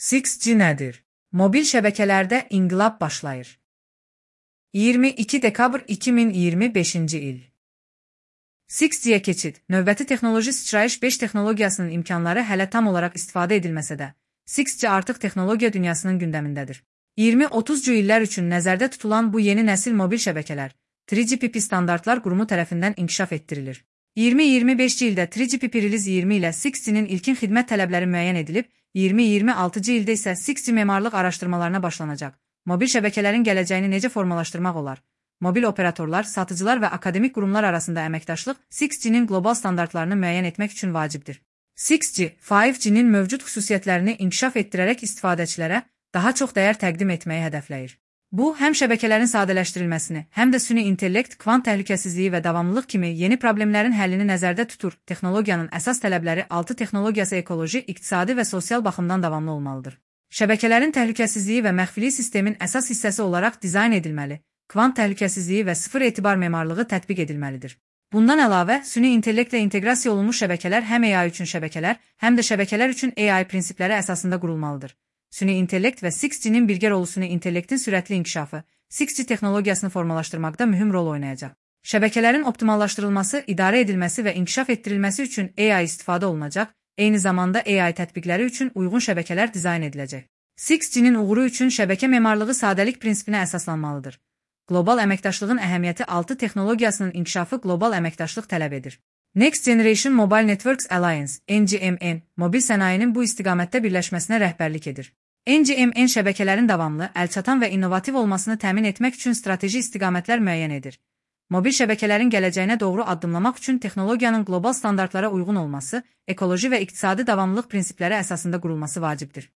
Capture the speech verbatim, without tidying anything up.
six G nədir? Mobil şəbəkələrdə inqilab başlayır. iyirmi iki dekabr iki min iyirmi beşinci il. six G-yə keçid, növbəti texnoloji sıçrayış beş texnologiyasının imkanları hələ tam olaraq istifadə edilməsə də, six G artıq texnologiya dünyasının gündəmindədir. iyirmi otuz illər üçün nəzərdə tutulan bu yeni nəsil mobil şəbəkələr, üç G P P standartlar qurumu tərəfindən inkişaf etdirilir. iyirmi iyirmi beşinci ildə üç G P P Release iyirmi ilə six G-nin ilkin xidmət tələbləri müəyyən edilib, iyirmi iyirmi altıncı ildə isə six G memarlıq araşdırmalarına başlanacaq. Mobil şəbəkələrin gələcəyini necə formalaşdırmaq olar? Mobil operatorlar, satıcılar və akademik qurumlar arasında əməkdaşlıq six G-nin qlobal standartlarını müəyyən etmək üçün vacibdir. six G, beş G-nin mövcud xüsusiyyətlərini inkişaf etdirərək istifadəçilərə daha çox dəyər təqdim etməyi hədəfləyir. Bu, həm şəbəkələrin sadələşdirilməsini, həm də süni intellekt, kvant təhlükəsizliyi və davamlılıq kimi yeni problemlərin həllini nəzərdə tutur. Texnologiyanın əsas tələbləri altı texnologiyası ekoloji, iqtisadi və sosial baxımdan davamlı olmalıdır. Şəbəkələrin təhlükəsizliyi və məxfiliyi sistemin əsas hissəsi olaraq dizayn edilməli, kvant təhlükəsizliyi və sıfır etibar memarlığı tətbiq edilməlidir. Bundan əlavə, süni intellektlə inteqrasiya olunmuş şəbəkələr həm A I üçün şəbəkələr, həm də şəbəkələr üçün A I prinsipləri əsasında qurulmalıdır. Süni intellekt və six G-nin birgə rolu süni intellektin sürətli inkişafı, six G texnologiyasını formalaşdırmaqda mühüm rol oynayacaq. Şəbəkələrin optimallaşdırılması, idarə edilməsi və inkişaf etdirilməsi üçün A I istifadə olunacaq, eyni zamanda A I tətbiqləri üçün uyğun şəbəkələr dizayn ediləcək. six G-nin uğuru üçün şəbəkə memarlığı sadəlik prinsipinə əsaslanmalıdır. Qlobal əməkdaşlığın əhəmiyyəti altı texnologiyasının inkişafı qlobal əməkdaşlıq tələb edir. Next Generation Mobile Networks Alliance, N G M N, mobil sənayinin bu istiqamətdə birləşməsinə rəhbərlik edir. N G M N şəbəkələrin davamlı, əlçatan və innovativ olmasını təmin etmək üçün strateji istiqamətlər müəyyən edir. Mobil şəbəkələrin gələcəyinə doğru addımlamaq üçün texnologiyanın qlobal standartlara uyğun olması, ekoloji və iqtisadi davamlılıq prinsipləri əsasında qurulması vacibdir.